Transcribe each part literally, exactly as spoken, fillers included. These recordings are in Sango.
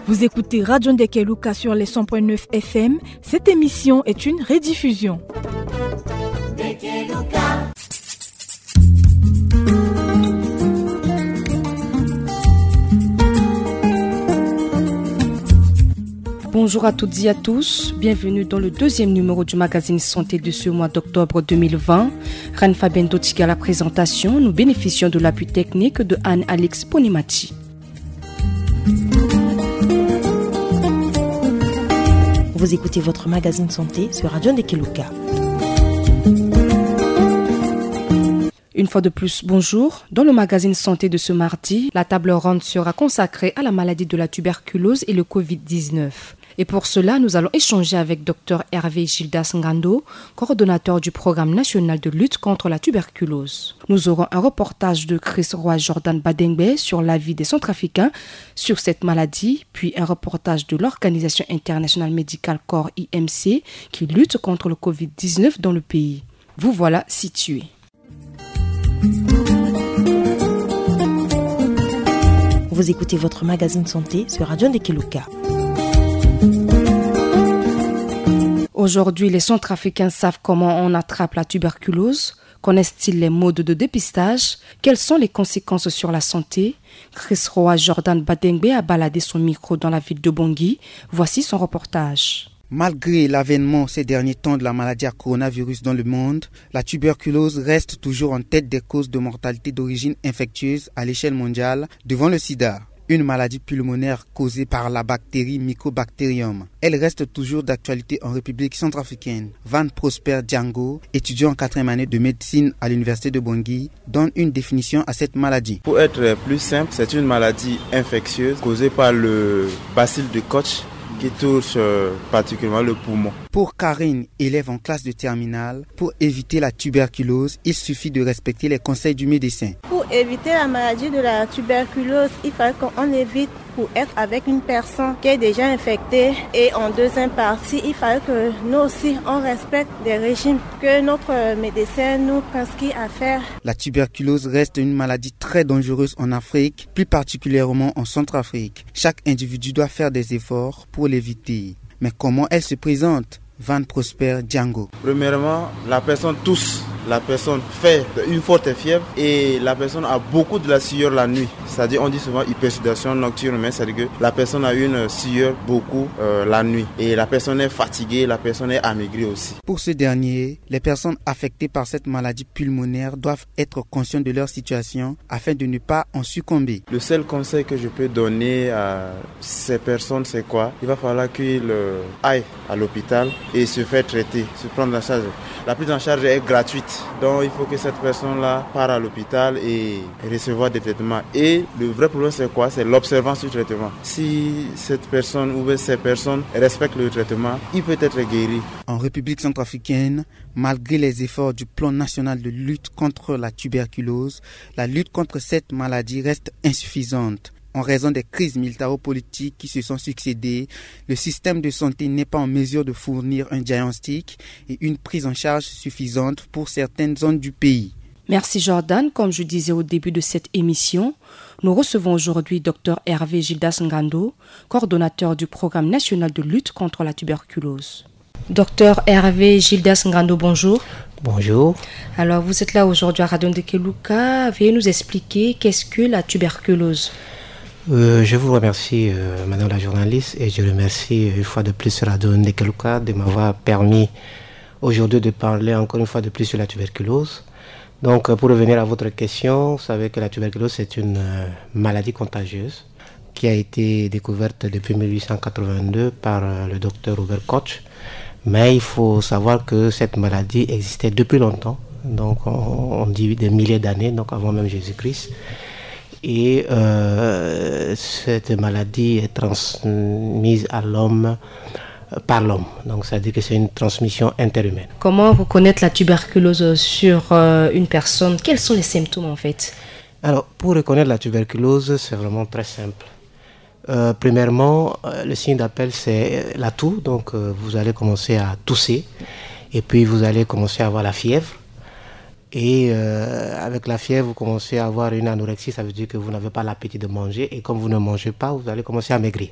Vous écoutez Radio Ndekeluka sur les cent point neuf F M. Cette émission est une rediffusion. Bonjour à toutes et à tous, bienvenue dans le deuxième numéro du magazine santé de ce mois d'octobre deux mille vingt. Reine Fabienne Dotiga à la présentation, nous bénéficions de l'appui technique de Anne-Alix Ponimati. Vous écoutez votre magazine santé sur Radio Ndekeluka. Une fois de plus, bonjour. Dans le magazine santé de ce mardi, la table ronde sera consacrée à la maladie de la tuberculose et le covid dix-neuf. Et pour cela, nous allons échanger avec docteur Hervé Gildas Ngando, coordonnateur du programme national de lutte contre la tuberculose. Nous aurons un reportage de Chris Roy Jordan Badengbe sur la vie des Centrafricains sur cette maladie, puis un reportage de l'Organisation internationale médicale corps I M C qui lutte contre le covid dix-neuf dans le pays. Vous voilà situé. Vous écoutez votre magazine santé sur Radio Ndekeluka. Aujourd'hui, les Centrafricains savent comment on attrape la tuberculose. Connaissent-ils les modes de dépistage ? Quelles sont les conséquences sur la santé ? Chris Roy Jordan Badengbe a baladé son micro dans la ville de Bangui. Voici son reportage. Malgré l'avènement ces derniers temps de la maladie à coronavirus dans le monde, la tuberculose reste toujours en tête des causes de mortalité d'origine infectieuse à l'échelle mondiale, devant le sida, une maladie pulmonaire causée par la bactérie Mycobacterium. Elle reste toujours d'actualité en République centrafricaine. Van Prosper Django, étudiant en quatrième année de médecine à l'université de Bangui, donne une définition à cette maladie. Pour être plus simple, c'est une maladie infectieuse causée par le bacille de Koch qui touche, euh, particulièrement le poumon. Pour Karine, élève en classe de terminale, pour éviter la tuberculose, il suffit de respecter les conseils du médecin. Pour éviter la maladie de la tuberculose, il fallait qu'on évite pour être avec une personne qui est déjà infectée. Et en deuxième partie, il fallait que nous aussi, on respecte des régimes que notre médecin nous prescrit à faire. La tuberculose reste une maladie très dangereuse en Afrique, plus particulièrement en Centrafrique. Chaque individu doit faire des efforts pour l'éviter. Mais comment elle se présente ? Van Prosper Django. Premièrement, la personne tousse, la personne fait une forte fièvre et la personne a beaucoup de la sueur la nuit. C'est-à-dire, on dit souvent hypersudation nocturne, mais c'est-à-dire que la personne a une sueur beaucoup, euh, la nuit. Et la personne est fatiguée, la personne est amaigrie aussi. Pour ce dernier, les personnes affectées par cette maladie pulmonaire doivent être conscientes de leur situation afin de ne pas en succomber. Le seul conseil que je peux donner à ces personnes, c'est quoi ? Il va falloir qu'ils, euh, aillent à l'hôpital et se faire traiter, se prendre en charge. La prise en charge est gratuite. Donc, il faut que cette personne-là parte à l'hôpital et recevoir des traitements. Et le vrai problème, c'est quoi ? C'est l'observance du traitement. Si cette personne ou bien ces personnes respectent le traitement, il peut être guéri. En République centrafricaine, malgré les efforts du plan national de lutte contre la tuberculose, la lutte contre cette maladie reste insuffisante. En raison des crises militaro-politiques qui se sont succédé, le système de santé n'est pas en mesure de fournir un diagnostic et une prise en charge suffisante pour certaines zones du pays. Merci Jordan. Comme je disais au début de cette émission, nous recevons aujourd'hui docteur Hervé Gildas Ngando, coordonnateur du programme national de lutte contre la tuberculose. Docteur Hervé Gildas Ngando, bonjour. Bonjour. Alors, vous êtes là aujourd'hui à Radio Ndekeluka. Veuillez nous expliquer qu'est-ce que la tuberculose ? Euh, je vous remercie, euh, Madame la journaliste, et je remercie, euh, une fois de plus Radio Ndekeluka de m'avoir permis aujourd'hui de parler encore une fois de plus sur la tuberculose. Donc, euh, pour revenir à votre question, vous savez que la tuberculose, c'est une, euh, maladie contagieuse qui a été découverte depuis mille huit cent quatre-vingt-deux par, euh, le docteur Robert Koch. Mais il faut savoir que cette maladie existait depuis longtemps, donc on, on dit des milliers d'années, donc avant même Jésus-Christ. Et, euh, cette maladie est transmise à l'homme, euh, par l'homme. Donc, c'est-à-dire que c'est une transmission interhumaine. Comment reconnaître la tuberculose sur, euh, une personne ? Quels sont les symptômes, en fait ? Alors, pour reconnaître la tuberculose, c'est vraiment très simple. Euh, premièrement, euh, le signe d'appel, c'est, euh, la toux. Donc, euh, vous allez commencer à tousser et puis vous allez commencer à avoir la fièvre. Et euh, avec la fièvre, vous commencez à avoir une anorexie, ça veut dire que vous n'avez pas l'appétit de manger. Et comme vous ne mangez pas, vous allez commencer à maigrir.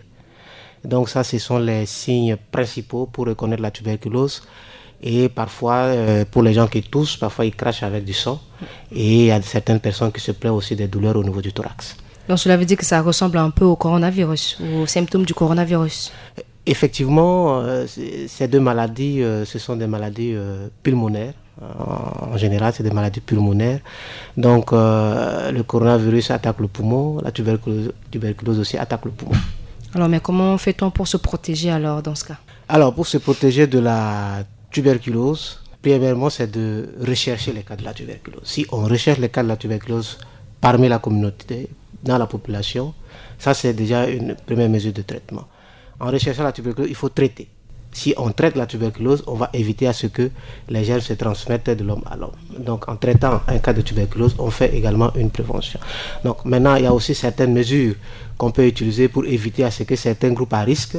Donc ça, ce sont les signes principaux pour reconnaître la tuberculose. Et parfois, euh, pour les gens qui toussent, parfois ils crachent avec du sang. Et il y a certaines personnes qui se plaignent aussi des douleurs au niveau du thorax. Donc cela veut dire que ça ressemble un peu au coronavirus ou aux symptômes du coronavirus. Effectivement, euh, ces deux maladies, euh, ce sont des maladies euh, pulmonaires. En général, c'est des maladies pulmonaires. Donc, euh, le coronavirus attaque le poumon, la tuberculose, tuberculose aussi attaque le poumon. Alors, mais comment fait-on pour se protéger alors dans ce cas ? Alors, pour se protéger de la tuberculose, premièrement, c'est de rechercher les cas de la tuberculose. Si on recherche les cas de la tuberculose parmi la communauté, dans la population, ça c'est déjà une première mesure de traitement. En recherchant la tuberculose, il faut traiter. Si on traite la tuberculose, on va éviter à ce que les germes se transmettent de l'homme à l'homme. Donc en traitant un cas de tuberculose, on fait également une prévention. Donc maintenant, il y a aussi certaines mesures qu'on peut utiliser pour éviter à ce que certains groupes à risque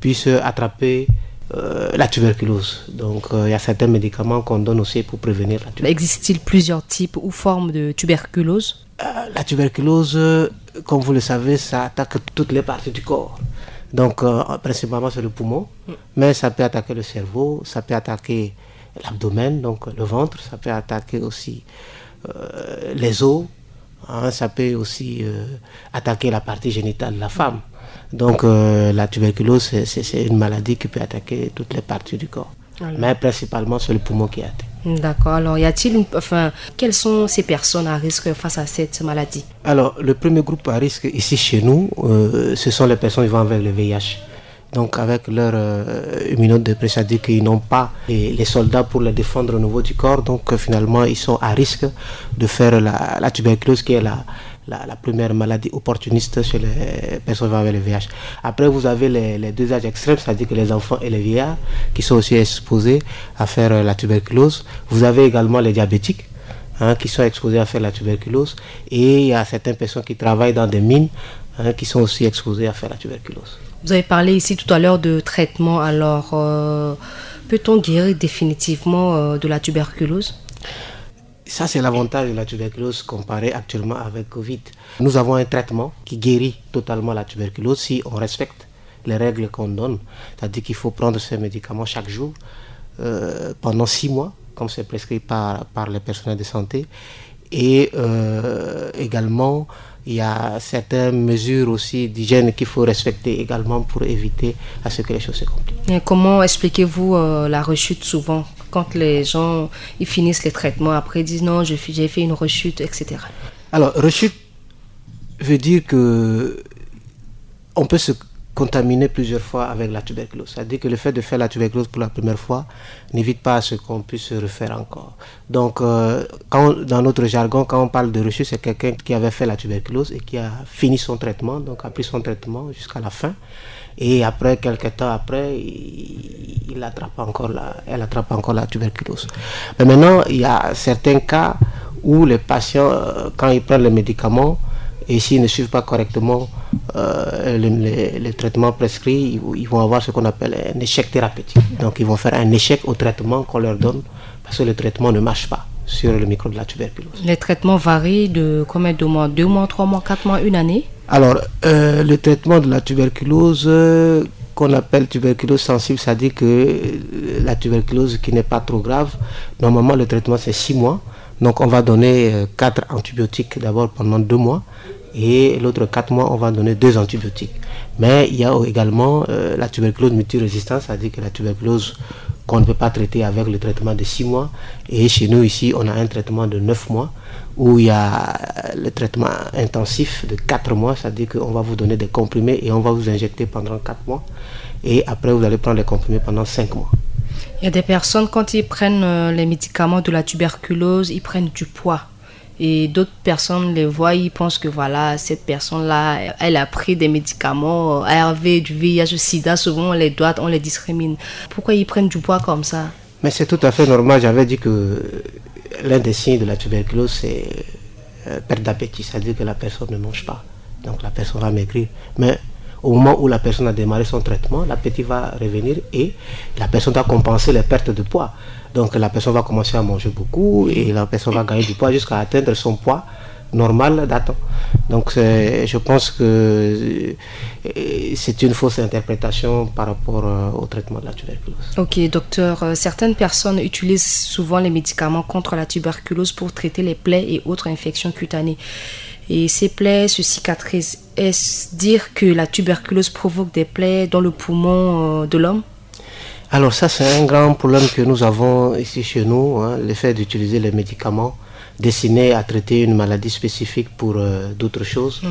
puissent attraper euh, la tuberculose. Donc euh, il y a certains médicaments qu'on donne aussi pour prévenir la tuberculose. Existe-t-il plusieurs types ou formes de tuberculose ? Euh, la tuberculose, euh, comme vous le savez, ça attaque toutes les parties du corps. Donc, euh, principalement, c'est le poumon, mais ça peut attaquer le cerveau, ça peut attaquer l'abdomen, donc le ventre, ça peut attaquer aussi euh, les os, hein, ça peut aussi euh, attaquer la partie génitale de la femme. Donc, euh, la tuberculose, c'est une maladie qui peut attaquer toutes les parties du corps. Alors. Mais principalement, c'est le poumon qui est atteint. D'accord. Alors, y a-t-il, une... enfin, quelles sont ces personnes à risque face à cette maladie ? Alors, le premier groupe à risque ici chez nous, euh, ce sont les personnes vivant avec le V I H. Donc, avec leur euh, immunodépression, c'est-à-dire qu'ils n'ont pas les, les, soldats pour les défendre au niveau du corps. Donc, euh, finalement, ils sont à risque de faire la, la tuberculose, qui est la, la, la, première maladie opportuniste chez les personnes vivant avec le V I H. Après, vous avez les, les deux âges extrêmes, c'est-à-dire que les enfants et les vieillards qui sont aussi exposés à faire euh, la tuberculose. Vous avez également les diabétiques, hein, qui sont exposés à faire la tuberculose. Et il y a certaines personnes qui travaillent dans des mines, hein, qui sont aussi exposées à faire la tuberculose. Vous avez parlé ici tout à l'heure de traitement. Alors, euh, peut-on guérir définitivement euh, de la tuberculose ? Ça, c'est l'avantage de la tuberculose comparé actuellement avec Covid. Nous avons un traitement qui guérit totalement la tuberculose si on respecte les règles qu'on donne. C'est-à-dire qu'il faut prendre ces médicaments chaque jour euh, pendant six mois, comme c'est prescrit par, par les personnels de santé. Et euh, également, il y a certaines mesures aussi d'hygiène qu'il faut respecter également pour éviter à ce que les choses se compliquent. Et comment expliquez-vous euh, la rechute souvent quand les gens ils finissent les traitements, après ils disent non, j'ai fait une rechute, et cetera. Alors, rechute veut dire que on peut se contaminer plusieurs fois avec la tuberculose. C'est-à-dire que le fait de faire la tuberculose pour la première fois n'évite pas à ce qu'on puisse se refaire encore. Donc, euh, quand, dans notre jargon, quand on parle de rechute, c'est quelqu'un qui avait fait la tuberculose et qui a fini son traitement, donc a pris son traitement jusqu'à la fin. Et après, quelques temps après, il, il attrape encore la, elle attrape encore la tuberculose. Mais maintenant, il y a certains cas où les patients, euh, quand ils prennent les médicaments, et s'ils ne suivent pas correctement euh, les, les, les, traitements prescrits, ils, ils, vont avoir ce qu'on appelle un échec thérapeutique. Donc, ils vont faire un échec au traitement qu'on leur donne parce que le traitement ne marche pas sur le microbe de la tuberculose. Les traitements varient de combien de mois ? Deux mois, trois mois, quatre mois, une année ? Alors, euh, le traitement de la tuberculose, euh, qu'on appelle tuberculose sensible, c'est-à-dire que la tuberculose qui n'est pas trop grave, normalement le traitement c'est six mois. Donc on va donner euh, quatre antibiotiques d'abord pendant deux mois et l'autre quatre mois on va donner deux antibiotiques. Mais il y a également euh, la tuberculose multirésistante, c'est-à-dire que la tuberculose qu'on ne peut pas traiter avec le traitement de six mois. Et chez nous ici, on a un traitement de neuf mois où il y a le traitement intensif de quatre mois, c'est-à-dire qu'on va vous donner des comprimés et on va vous injecter pendant quatre mois. Et après, vous allez prendre les comprimés pendant cinq mois. Il y a des personnes, quand ils prennent euh, les médicaments de la tuberculose, ils prennent du poids. Et d'autres personnes les voient, ils pensent que voilà, cette personne-là, elle a pris des médicaments euh, A R V, du V I H, du sida. Souvent, on les doit, on les discrimine. Pourquoi ils prennent du poids comme ça ? Mais c'est tout à fait normal. J'avais dit que l'un des signes de la tuberculose, c'est euh, perte d'appétit. C'est-à-dire que la personne ne mange pas. Donc la personne va maigrir. Mais Au moment où la personne a démarré son traitement, l'appétit va revenir et la personne doit compenser les pertes de poids. Donc la personne va commencer à manger beaucoup et la personne va gagner du poids jusqu'à atteindre son poids normal datant. Donc je pense que euh, c'est une fausse interprétation par rapport euh, au traitement de la tuberculose. Ok, docteur, euh, certaines personnes utilisent souvent les médicaments contre la tuberculose pour traiter les plaies et autres infections cutanées. Et ces plaies se cicatrisent. Est-ce dire que la tuberculose provoque des plaies dans le poumon euh, de l'homme ? Alors ça, c'est un grand problème que nous avons ici chez nous, hein, le fait d'utiliser les médicaments destinés à traiter une maladie spécifique pour euh, d'autres choses. Mm.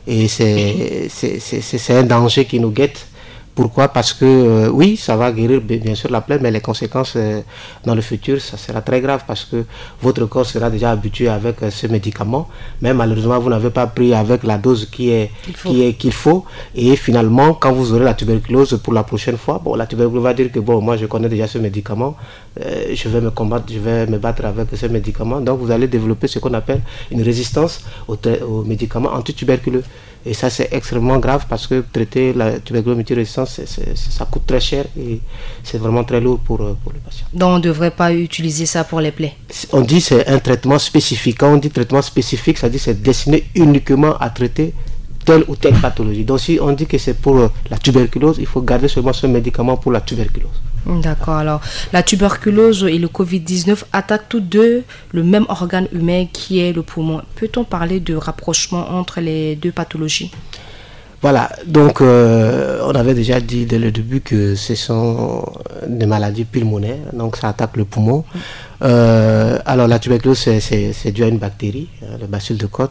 Et c'est un danger qui nous guette. Pourquoi ? Parce que euh, oui, ça va guérir bien sûr la plaie, mais les conséquences euh, dans le futur, ça sera très grave parce que votre corps sera déjà habitué avec euh, ce médicament. Mais malheureusement, vous n'avez pas pris avec la dose qui est qu'il faut. Qui est, qu'il faut. Et finalement, quand vous aurez la tuberculose pour la prochaine fois, bon, la tuberculose va dire que bon, moi je connais déjà ce médicament, euh, je vais me combattre, je vais me battre avec ce médicament. Donc vous allez développer ce qu'on appelle une résistance aux, aux médicaments antituberculeux. Et ça, c'est extrêmement grave parce que traiter la tuberculose multirésistante, ça coûte très cher et c'est vraiment très lourd pour, euh, pour le patient. Donc, on ne devrait pas utiliser ça pour les plaies ? On dit c'est un traitement spécifique. Quand on dit traitement spécifique, ça dit c'est destiné uniquement à traiter telle ou telle pathologie. Donc, si on dit que c'est pour euh, la tuberculose, il faut garder seulement ce médicament pour la tuberculose. D'accord. Alors, la tuberculose et le covid dix-neuf attaquent tous deux le même organe humain qui est le poumon. Peut-on parler de rapprochement entre les deux pathologies ? Voilà, donc euh, on avait déjà dit dès le début que ce sont des maladies pulmonaires, donc ça attaque le poumon. Euh, alors la tuberculose, c'est dû à une bactérie, hein, le bacille de Koch.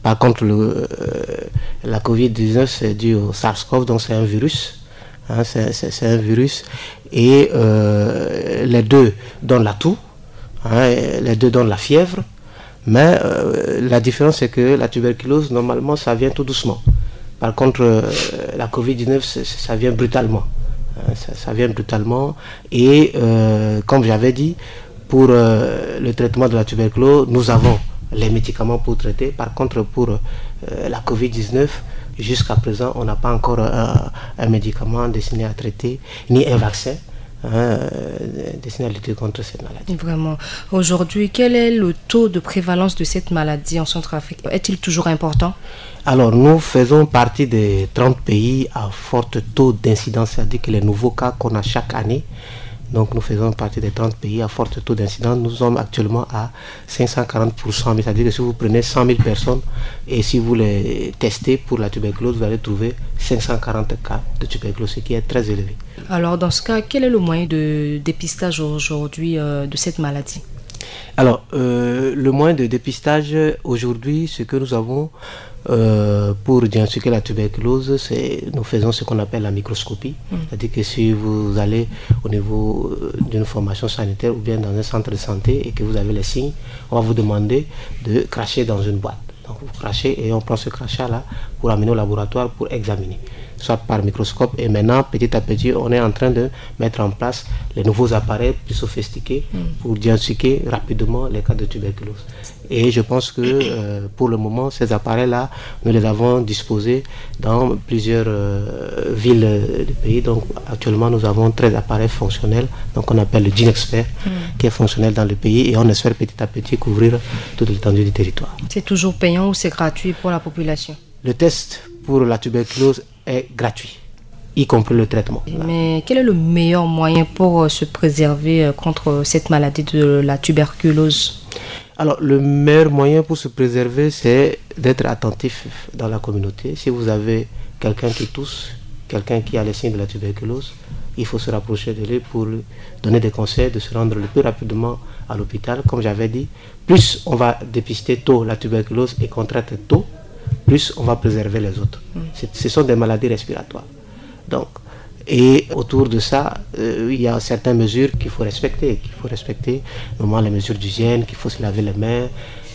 Par contre, le, euh, la covid dix-neuf, c'est dû au SARS-CoV, donc c'est un virus. Hein, c'est un virus. Et euh, les deux donnent la toux, hein, les deux donnent la fièvre. Mais euh, la différence, c'est que la tuberculose, normalement, ça vient tout doucement. Par contre, euh, la covid dix-neuf, ça vient brutalement. Hein, ça, ça, vient brutalement. Et euh, comme j'avais dit, pour euh, le traitement de la tuberculose, nous avons les médicaments pour traiter. Par contre, pour euh, la covid dix-neuf, jusqu'à présent, on n'a pas encore un, un médicament destiné à traiter, ni un vaccin. Hein, destiné à lutter contre cette maladie. Vraiment. Aujourd'hui, quel est le taux de prévalence de cette maladie en Centrafrique ? Est-il toujours important ? Alors, nous faisons partie des trente pays à fort taux d'incidence, c'est-à-dire que les nouveaux cas qu'on a chaque année. Donc, nous faisons partie des trente pays à fort taux d'incidence. Nous sommes actuellement à cinq cent quarante pour cent, c'est-à-dire que si vous prenez cent mille personnes et si vous les testez pour la tuberculose, vous allez trouver cinq cent quarante cas de tuberculose, ce qui est très élevé. Alors, dans ce cas, quel est le moyen de dépistage aujourd'hui euh, de cette maladie ? Alors, euh, le moyen de dépistage aujourd'hui, ce que nous avons euh, pour diagnostiquer la tuberculose, c'est nous faisons ce qu'on appelle la microscopie. Mm. C'est-à-dire que si vous allez au niveau euh, d'une formation sanitaire ou bien dans un centre de santé et que vous avez les signes, on va vous demander de cracher dans une boîte. Donc vous crachez et on prend ce crachat-là pour amener au laboratoire pour examiner, soit par microscope. Et maintenant, petit à petit, on est en train de mettre en place les nouveaux appareils plus sophistiqués mm. pour diagnostiquer rapidement les cas de tuberculose. Et je pense que euh, pour le moment, ces appareils-là, nous les avons disposés dans plusieurs euh, villes du pays. Donc actuellement, nous avons treize appareils fonctionnels, donc on appelle le Genexpert, mm. qui est fonctionnel dans le pays et on espère petit à petit couvrir toute l'étendue du territoire. C'est toujours payant ou c'est gratuit pour la population ? Le test pour la tuberculose est gratuit, y compris le traitement. Mais quel est le meilleur moyen pour euh, se préserver euh, contre cette maladie de la tuberculose ? Alors, le meilleur moyen pour se préserver, c'est d'être attentif dans la communauté. Si vous avez quelqu'un qui tousse, quelqu'un qui a les signes de la tuberculose, il faut se rapprocher de lui pour lui donner des conseils de se rendre le plus rapidement à l'hôpital. Comme j'avais dit, plus on va dépister tôt la tuberculose et qu'on traite tôt, plus on va préserver les autres. Mm. Ce sont des maladies respiratoires. Donc, et autour de ça, euh, il y a certaines mesures qu'il faut respecter, qu'il faut respecter, notamment les mesures d'hygiène, qu'il faut se laver les mains.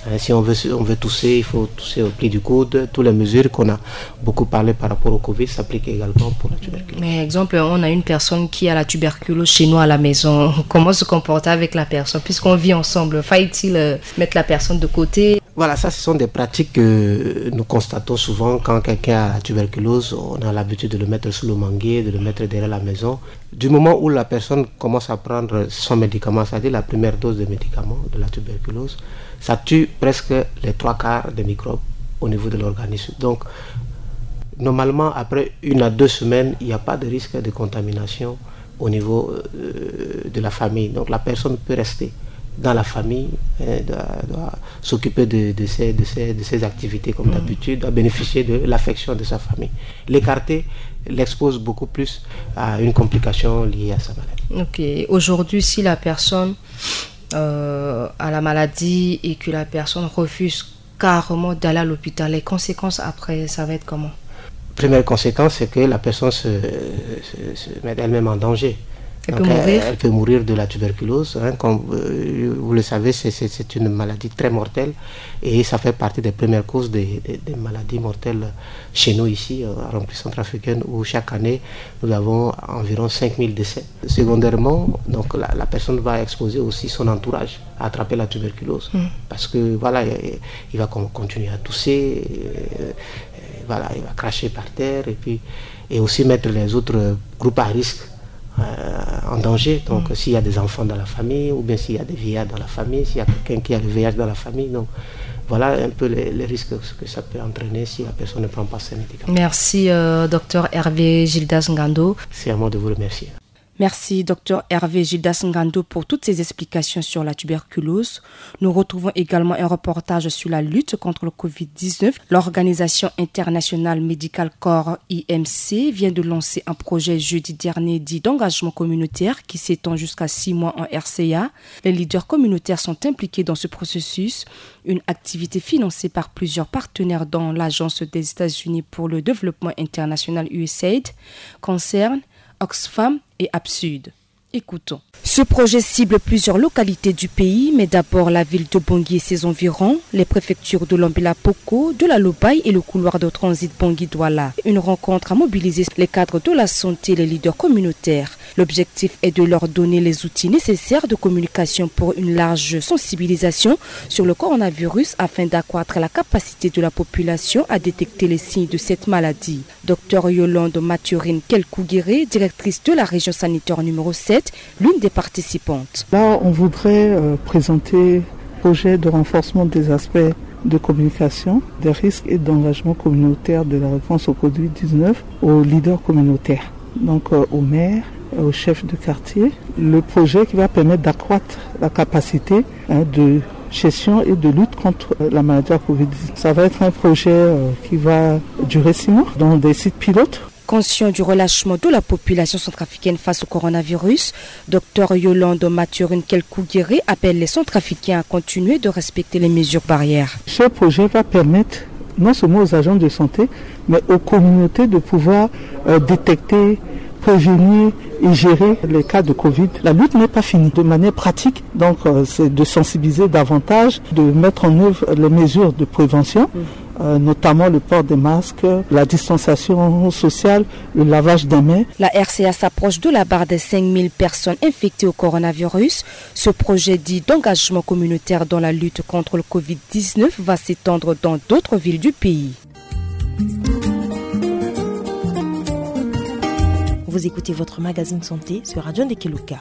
Hein, si on veut, on veut tousser, il faut tousser au pli du coude. Toutes les mesures qu'on a beaucoup parlé par rapport au covid s'appliquent également pour la tuberculose. Mais exemple, on a une personne qui a la tuberculose chez nous à la maison. Comment se comporter avec la personne ? Puisqu'on vit ensemble, faut-il euh, mettre la personne de côté ? Voilà, ça, ce sont des pratiques que nous constatons souvent quand quelqu'un a la tuberculose. On a l'habitude de le mettre sous le manguier, de le mettre derrière la maison. Du moment où la personne commence à prendre son médicament, c'est-à-dire la première dose de médicament de la tuberculose, ça tue presque les trois quarts des microbes au niveau de l'organisme. Donc, normalement, après une à deux semaines, il n'y a pas de risque de contamination au niveau euh, de la famille. Donc la personne peut rester dans la famille, hein, doit, doit s'occuper de, de ses, de, ses, de ses activités comme d'habitude, doit bénéficier de l'affection de sa famille. L'écarter l'expose beaucoup plus à une complication liée à sa maladie. Ok. Aujourd'hui, si la personne euh, a la maladie et que la personne refuse carrément d'aller à l'hôpital, les conséquences après, ça va être comment ? Première conséquence, c'est que la personne se, se, se met elle-même en danger. Elle Donc, peut mourir. Elle, elle peut mourir de la tuberculose. Hein, comme euh, vous le savez, c'est, c'est, c'est une maladie très mortelle et ça fait partie des premières causes des, des, des maladies mortelles chez nous ici, euh, en République centrafricaine, où chaque année, nous avons environ cinq mille décès. Secondairement, donc, la, la personne va exposer aussi son entourage à attraper la tuberculose. Parce que, voilà, il, il va con- continuer à tousser, euh, euh, voilà, il va cracher par terre, et puis, et aussi mettre les autres groupes à risque euh, en danger. Donc, s'il y a des enfants dans la famille, ou bien s'il y a des vieillards dans la famille, s'il y a quelqu'un qui a le V I H dans la famille, donc, voilà un peu les, les risques que ça peut entraîner si la personne ne prend pas ses médicaments. Merci, euh, docteur Hervé Gildas Ngando. C'est à moi de vous remercier. Merci, docteur Hervé Gildas Ngando, pour toutes ces explications sur la tuberculose. Nous retrouvons également un reportage sur la lutte contre le covid dix-neuf. L'Organisation internationale Medical Corps, I M C, vient de lancer un projet jeudi dernier dit d'engagement communautaire qui s'étend jusqu'à six mois en R C A. Les leaders communautaires sont impliqués dans ce processus, une activité financée par plusieurs partenaires dont l'Agence des États-Unis pour le développement international, U S A I D, Concern, Oxfam et Absud. Écoutons. Ce projet cible plusieurs localités du pays, mais d'abord la ville de Bangui et ses environs, les préfectures de Lombe-la-Poko, de la Lobaye et le couloir de transit Bangui-Douala. Une rencontre a mobilisé les cadres de la santé et les leaders communautaires. L'objectif est de leur donner les outils nécessaires de communication pour une large sensibilisation sur le coronavirus afin d'accroître la capacité de la population à détecter les signes de cette maladie. Docteur Yolande Mathurin Kelkouguéré, directrice de la région sanitaire numéro sept, l'une des participantes. Là, on voudrait euh, présenter le projet de renforcement des aspects de communication, des risques et d'engagement communautaire de la réponse au covid dix-neuf aux leaders communautaires, donc euh, aux maires, euh, aux chefs de quartier. Le projet qui va permettre d'accroître la capacité hein, de gestion et de lutte contre euh, la maladie à covid dix-neuf. Ça va être un projet euh, qui va durer six mois dans des sites pilotes. Conscient du relâchement de la population centrafricaine face au coronavirus, docteur Yolande Mathurin Kelkouguéré appelle les Centrafricains à continuer de respecter les mesures barrières. Ce projet va permettre non seulement aux agents de santé, mais aux communautés de pouvoir euh, détecter, prévenir et gérer les cas de covid. La lutte n'est pas finie. De manière pratique, donc, euh, c'est de sensibiliser davantage, de mettre en œuvre les mesures de prévention. Euh, notamment le port des masques, la distanciation sociale, le lavage des mains. La R C A s'approche de la barre des cinq mille personnes infectées au coronavirus. Ce projet dit d'engagement communautaire dans la lutte contre le covid dix-neuf va s'étendre dans d'autres villes du pays. Vous écoutez votre magazine santé sur Radio Ndekeluka.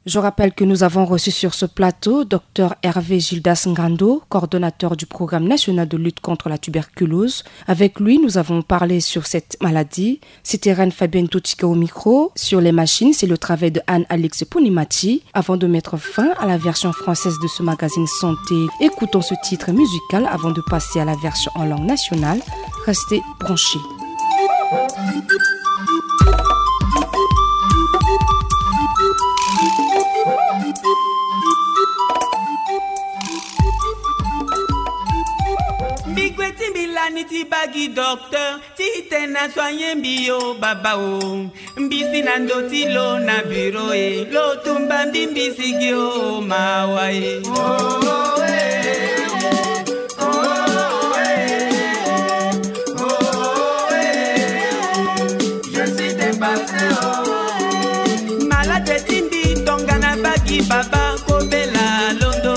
Je rappelle que nous avons reçu sur ce plateau docteur Hervé Gildas Ngando, coordonnateur du programme national de lutte contre la tuberculose. Avec lui, nous avons parlé sur cette maladie. C'était Reine Fabienne Totika au micro. Sur les machines, c'est le travail de Anne-Alix Punimachi. Avant de mettre fin à la version française de ce magazine santé, écoutons ce titre musical avant de passer à la version en langue nationale. Restez branchés. Mbi gue ti mbi lani ti baa gi docteur ti tene na soigner mbi o baba o. Mbi si na ndo ti lo na bureau e, lo tumba mbi, mbi si gi o mawa e. Je suis dépassé o. Malade ti mbi tongana baa gi baba, kobela londo.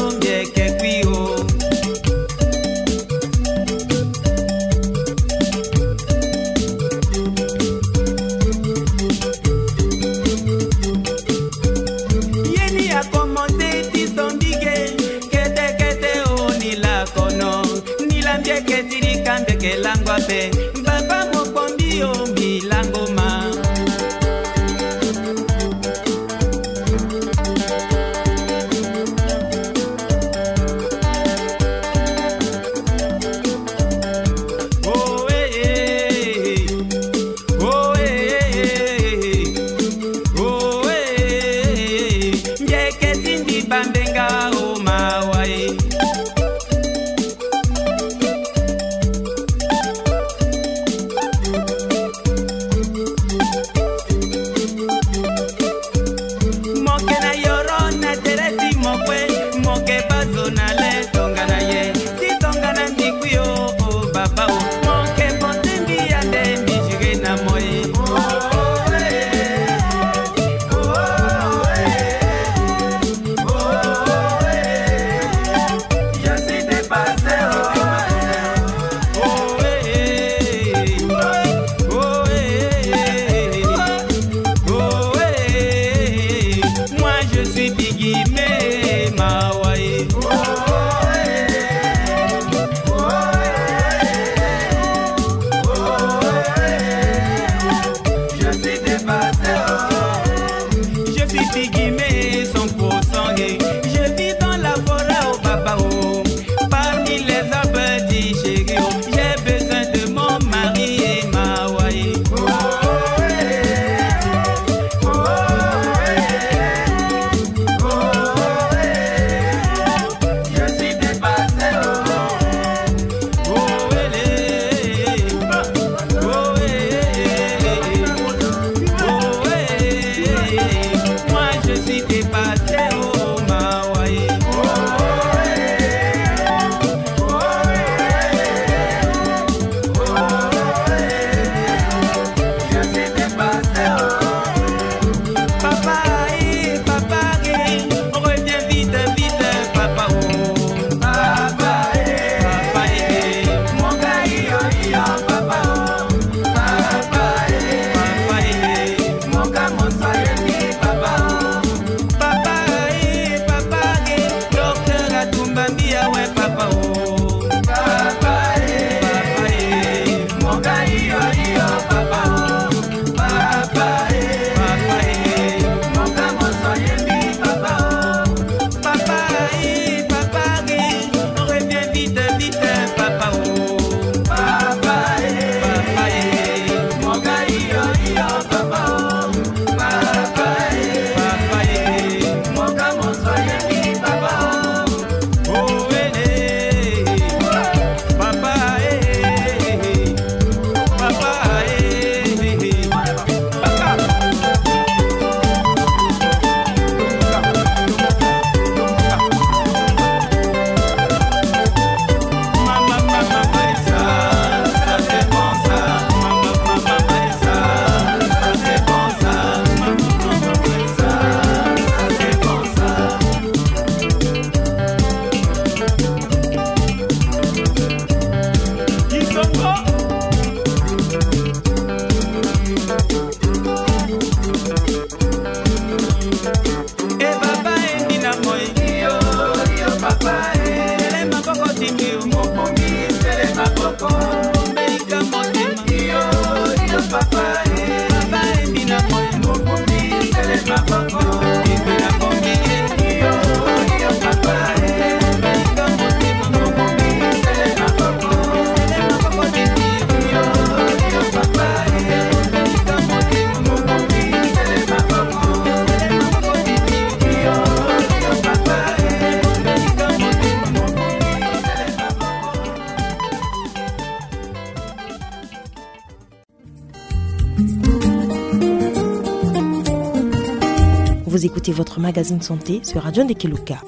Ke lango ape, baba mokpombi yo mbi lango ma. Oh, eh, eh, eh. Oh, eh, eh, eh, eh. Oh, eh, eh, eh, eh. Nje ke ti mbi bambenga o mawa e. Mo ke na yoro na tere ti mo kue, mo ke baa zo na le tongana ye. Si tongana mbi kui o, o baba o, mo ke bote mbi ande mbi jure na mo e. Je suis dépassé, oh. Oh, eh, eh, eh. Oh, eh, eh, eh. Oh, eh, eh, eh. Moi, je suis Bigimé, mawa e. Oh, eh, eh, eh. Oh, eh, eh, eh. Oh, eh, eh, eh. Je suis dépassé, oh. Je suis Bigimé cent pour cent, eh. Je vis dans la forêt, oh, papa, oh. Parmi les arbres du chéri, oh. J'ai besoin de mon mari et ma wife. Oh, eh, oh, eh, oh, eh. Je suis dépassé, oh. Oh, eh, eh, eh. Oh, eh, eh, eh. Oh, eh, eh, eh. Moi, je suis dépassé, oh, mawa e. Oh, eh, eh, eh. Oh, eh, eh, eh. Je suis dépassé, oh. Papa, eh, papa, eh, reviens vite, vite, papa, oh. Papa, eh, papa, eh, mon gars, yo, yo, papa, oh. Papa, eh, papa, eh, mon gars, mon soyez, papa, oh. Papa, eh, papa, eh, docteur Atumba, mbi awe, papa, oh. Papa, eh, papa, eh, mon gars, yo, yo, papa, oh. Papa, eh, papa, eh, mon gars, mon soyez, mbi, papa, oh. Papa, eh, papa, eh, reviens vite, vite, papa, oh. Papa, eh, papa, eh, mon gars, yo, yo, papa, oh. Papa, eh, papa, eh, mon gars, mon soyez, mbi, papa, oh. Oh, eh, eh, papa, eh, eh, eh, papa, eh, eh, eh. E baba, e mbi na moi. Iyo, iyo, papa, e. Sele maboko ti mbi o. Mokonzi, sele maboko. Mbelika motema. Iyo, iyo, papa, e. Baba, e mbi na moi. Mokonzi, sele maboko. Mbi na moi, e. Iyo, iyo, papa, e. Mbelika motema. Mokonzi, sele maboko. Sele maboko ti mbi. Iyo, iyo, papa, e. Vous écoutez votre magazine santé sur Radio Ndekeluka.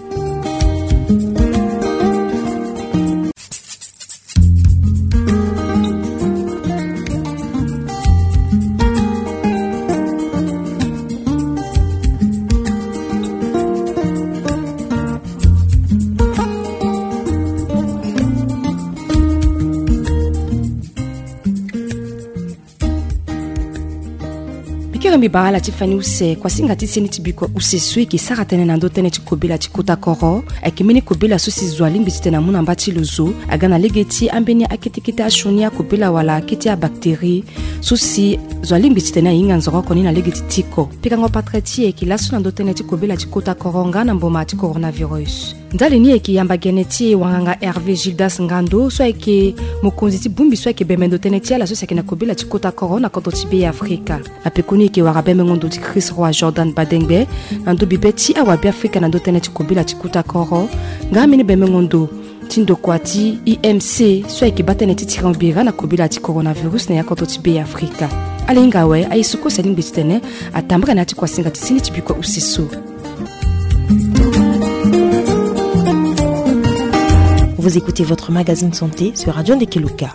Mbi kiri E bara ala ti fani use, kuasinga ti seni ti bikua use so e yeke sara tënë na ndö tënë ti kobela ti kota koro, ayeke mbeni kobela so si zo alingbi titene amu na mba ti lo zo, aga na lege ti ambeni akete kete asioni akobela wala akete abactérie so si zo alingbi titene ahinga nzoroko ni na lege ti tiko. Pikango patre ti e ayeke laso na ndö tënë ti kobela ti kota koro nga na mboma ti coronavirus. Ndali ni e yeke yamba gene ti e wanganga Hervé Gildas Ngando so ayeke mokonzi ti bongbi so ayeke bembe ndo tënë ti ala so si ayeke na kobela ti kota koro na kodro ti Be Afrika. Na pekoni e yeke wara bembengo ndo ti Chris Roy Jordan Badengbe na ndo bibe ti awabeafrika na ndö tënë ti kobela ti kota koro, nga ambeni bembengo ndo ti ndokua ti I M C so ayeke baa tënë ti tirengo bira na kobela ti coronavirus na ya kodro ti Be Afrika. Ala hinga awe aye so kue si alingbi titene atambara na ya ti kuasinga ti seni ti bikua use so. Vous écoutez votre magazine santé sur Radio Ndekeluka.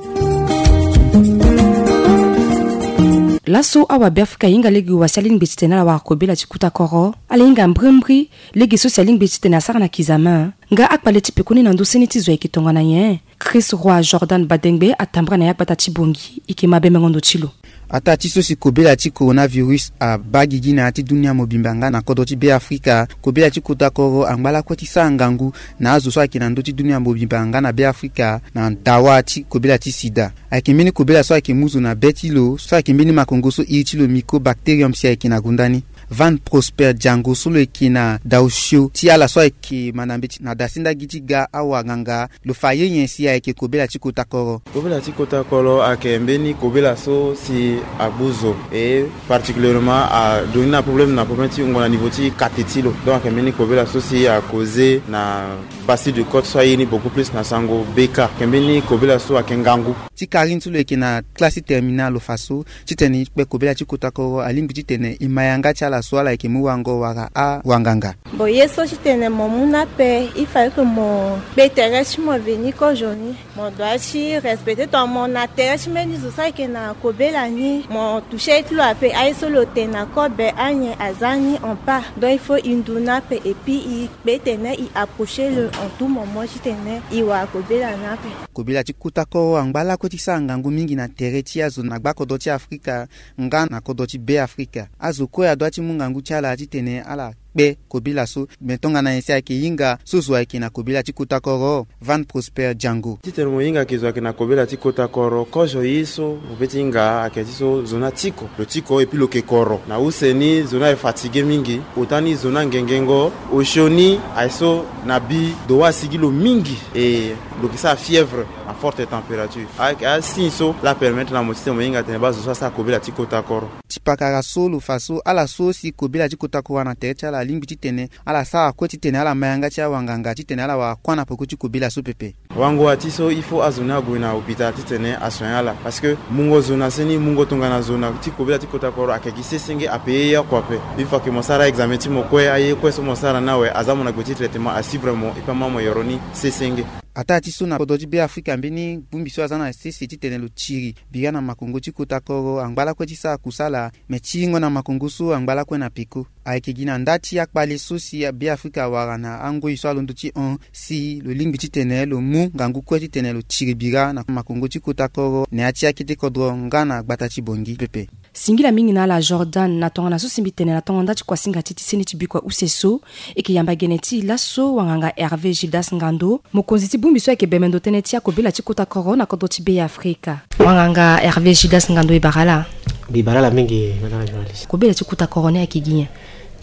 Laso awabeafrika ahinga lege wa si alingbi titene ala wara kobela ti kota koro, ala hinga mbrimbri lege so si alingbi titene asara na kizame. Nga akpale ti pekoni na ndö seni ti zo ayeke tongana nyen? Chris Roy Jordan Badengbe atambara na ya gbata ti Bangui, e yeke ma bembengo ndo ti lo. Ataa ti so si kobela ti coronavirus abaa gigi na ya ti dunia mobimba nga na kodro ti Be Afrika, kobela ti kota koro angba lakue ti sara ngangu na azo so ayeke na ndö ti dunia mobimba nga na Be Afrika na dawa ti kobela ti sida. Ayeke mbeni kobela so ayeke mu zo na be ti lo, so ayeke mbeni makongo so iri ti lo Mycobacterium si ayeke na gonda ni. Van Prosper Django so lo yeke na daosio ti ala so ayeke ma na mbeti na dasinda gi ti ga awanganga, lo fa ye nyen si ayeke kobela ti kota koro. Kobela ti kota koro ayeke mbeni kobela so si agbu zo, e particulièrement adoni na problème na problème ti wungo na niveau ti kate ti lo. Donc ayeke mbeni kobela so si akoze na basi de cote so aye ni beaucoup plus na sango B K. Ayeke mbeni kobela so ayeke ngangu. Ti Karine so lo yeke na classe ti terminale lo fa so titene e kpe kobela ti kota koro alingbi titene e ma yanga ti ala so ala yeke mu wango wala awanganga. Bon, ye so titene mo mu ni ape, il fallait que mo kpe tere ti mo veni kozoni. Mo doit ti respecter tongana mo na tere ti mbeni zo so ayeke na kobela ni, mo toucher ti lo ape, aye so lo tene na kobe anyen aza ni en pas. Donc il faut e ndu ni ape et puis e kpe tene e approcher lo en tout moment titene e wara kobela ni ape. Kobela ti kota koro angba lakue ti sara ngangu mingi na tere ti azo na gbakodro ti Afrika nga na kodro ti Be Afrika. Azo kue adoit ti mu ngangu ti ala titene ala kpe kobela so. Me tongana nyen si ayeke hinga so zo ayeke na kobela ti kota koro? Van Prosper Django. Titene mo hinga ke zo ayeke na kobela ti kota koro, kozo ye so mo peut ti hinga ayeke ti so zo ni atiko. Lo tiko et puis lo yeke koro. Na use ni zo ni aye fatigué mingi. Ota ni zo ni angengengo. Osio ni aye so na bi dowa asigi lo mingi. E lo yeke sara fièvre na forte température. Ayeke asigne so la permettre na mo titene mo hinga tene baa zo so asara kobela ti kota koro. Ti pakara so lo fa so ala so si kobela ti kota koro na tere ti ala alingbi titene ala sara kue titene ala ma yanga ti awanganga titene ala wara kuâ na peko ti kobela so pepe. Wango wa ti so il faut azo ni ague na hôpital titene asoigner ala parce que mungo zo na seni, mungo tongana zo na ti kobela ti kota koro ayeke gi sesenge, ape ye oko ape. Une fois que mo sara examen ti mo kue, aye kue so mo sara ni awe aza mo na gbe ti traitement, asuivre mo et puis ama mo yoro ni sesenge. Ataa ti so na kodro ti Be Afrika mbeni bongbi so aza na sese titene lo tiri bira na makongo ti kota koro angba lakue ti sara kusala, me tiringo na makongo so angba lakue na peko. Ayeke gi na nda ti akpale so si Be Afrika awara na angoi so alondo ti hon si lo lingbi titene lo mu ngangu kue titene lo tiri bira na makongo ti kota koro na ya ti akete kodro nga na gbata ti Bangui pepe. Singila mingi na ala Jordan na tongana so si mbi tene na tongo nda ti kuasinga ti ti seni ti bikua use so. E yeke yamba gene ti e laso wanganga Hervé Gildas Ngando, mokonzi ti bongbi so ayeke bembe ndo tënë ti akobela ti kota koro na kodro ti Be Afrika. Wanganga Hervé Gildas Ngando, e bara ala. Mbi bara ala mingi, madame la journaliste. Kobela ti kota koro ni ayeke gi nyen?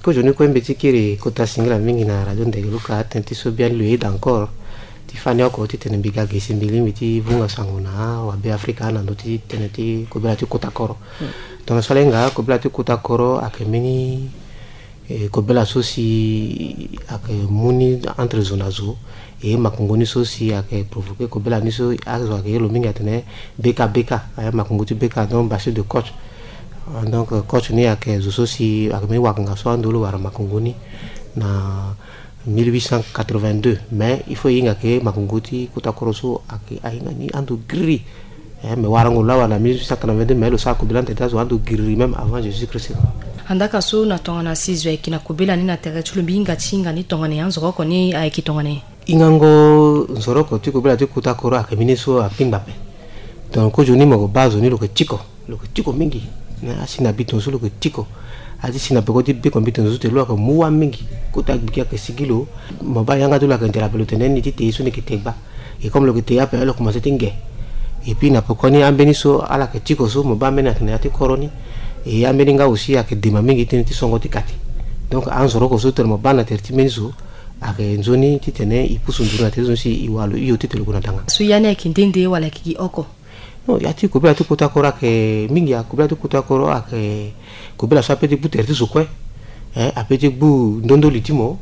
Kozoni kue mbi ti kiri kota singila mingi na radio Ndegeluka, atene ti so biani lo yeda encore ti fani oko titene mbi ga ge si mbi lingbi ti vunga sango na awabe Afrika na ndö ti tënë ti kobela ti kota koro. Tongana so ala hinga kobela ti kota koro ayeke mbeni, eh, kobela so si ayeke mu ni entre zo na zo. E makongo ni so si ayeke provoquer kobela ni so azo ayeke ye lo mingi atene B K B K, eh, makongo ti B K, donc bacille de Koch. Ah, donc, eh, Koch ni ayeke zo so si ayeke mbeni wakanga so ando lo wara makongo ni na mille huit cent quatre-vingt-deux. Mais il faut e hinga ke makongo ti kota koro so ayeke ahinga ni ando giriri. Eh, me warango lo awe na mille huit cent quatre-vingt-deux, mais lo sara kobela na tere ti azo ando giriri même avant Jésus-Christ. Andaka so na tongana si zo ayeke na kobela ni na tere ti lo, mbi hinga ti hinga ni tongana nyen, anzoroko ni ayeke tongana nyen? Hingango nzoroko ti kobela ti kota koro ayeke mbeni so akpingba ape. Donc kozoni mo yeke baa zo ni lo yeke tiko, lo yeke tiko mingi. Eh, asi na bi tongaso lo yeke tiko. A ti si na peko ti be comité na zo ti tene lo ayeke mu wâ mingi. Kota gbiki ayeke sigi lo. Mo baa yanga ti lo ayeke ndela ape lo tene ni ti te ye so ni yeke te gba. Et comme lo yeke te ye ape lo commencé ti nge. Et puis na pekoni ambeni so ala yeke tiko so mo baa ambeni ayeke na ya ti koro ni. Et ambeni nga aussi ayeke dema mingi ti tene ti songo ti kati. Donc anzoroko so tene mo baa na tere ti mbeni zo ayeke nzoni ti tene e pusu nduru na tere ti zo ni si e wara lo hio ti tene lo gue na danga. So ya ni ayeke nde nde wala ayeke gi oko? Non, ya ti kobela ti kota koro ayeke mingi. Ya kobela ti kota koro ayeke kobela so ape ti gbu tere ti zo kue. Eh, ape ti gbu ndondoli ti mo.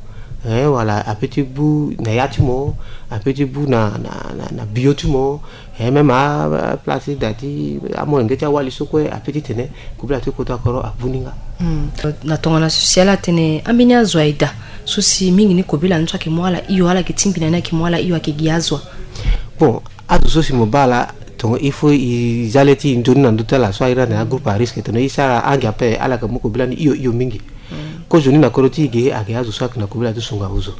Eh, wala ape ti gbu na ya ti mo. Ape ti gbu na, na, na, na bio ti mo. Eh, même a, a place ti da ti amolenge ti awali so kue ape ti tene kobela ti kota koro agbu ni nga. Hmm. Na tongana so si ala tene ambeni azo aye daa so si mingi ni kobela ni so ayeke mu ala hio, ala yeke tingbi na ni ayeke mu ala hio, ayeke gi azo a? Bon, azo so si mo baa ala, tongo il faut e za le ti e nzoni na ndö ti ala so a iri atene agroupe à risque, tongana e sara ange ape ala yeke mu kobela ni hio hio mingi. Kozo ni na kodro ti e ge ayeke azo so ayeke na kobela ti sunga ozo.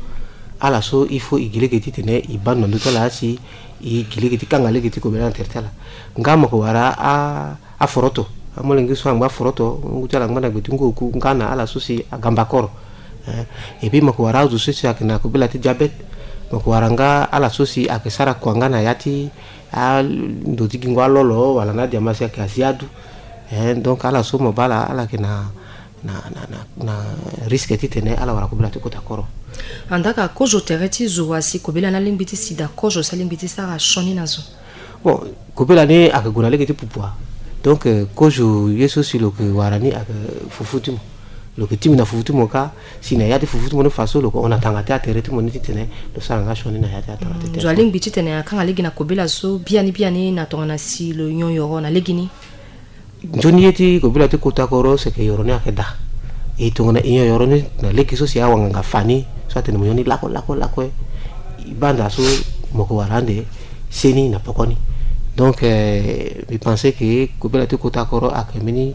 Ala so il faut e gi lege ti tene e baa ndo na ndö ti ala si e gi lege ti kanga lege ti kobela na tere ti ala. Nga mo yeke wara a aforoto, amolenge so angba aforoto, ngu ti ala angba na gbe ti ngu oku, nga na ala so si agamba koro. Eh, et puis mo yeke wara azo so si ayeke na kobela ti diabète. Mo yeke wara nga ala so si ayeke sara kua nga na ya ti ando ti gingo alolo wala na adiama si ayeke azi adu. Eh, donc ala so mo baa ala, ala yeke na, na, na, na, na risque ti tene ala wara kobela ti kota koro. Andaa ka kozo tere ti zo wa si kobela ni alingbi ti sida kozo si alingbi ti sara sioni na zo? Bon, kobela ni ayeke gue na lege ti pupua. Donc, eh, kozo ye so si lo yeke wara ni ayeke fufu ti mo. Lo yeke tingbi na fufu ti mo kâ, si na ya ti fufu ti mo ni fa so lo yeke hon na tanga ti atere ti mo ni ti tene lo sara nga sioni na ya ti atanga ti tene. Zo alingbi ti tene akanga lege na kobela so biani biani na tongana si lo nyon yoro na legeni? Nzoni ye ti kobela ti kota koro seke yoro ni ayeke daa. E tongana e nyon yoro ni na lege so si awanganga fa ni so atene mo nyon ni lakue lakue lakue, e baa nda so mo yeke wara ande seni na poko ni. Donc, eh, mbi pense que kobela ti kota koro ayeke mbeni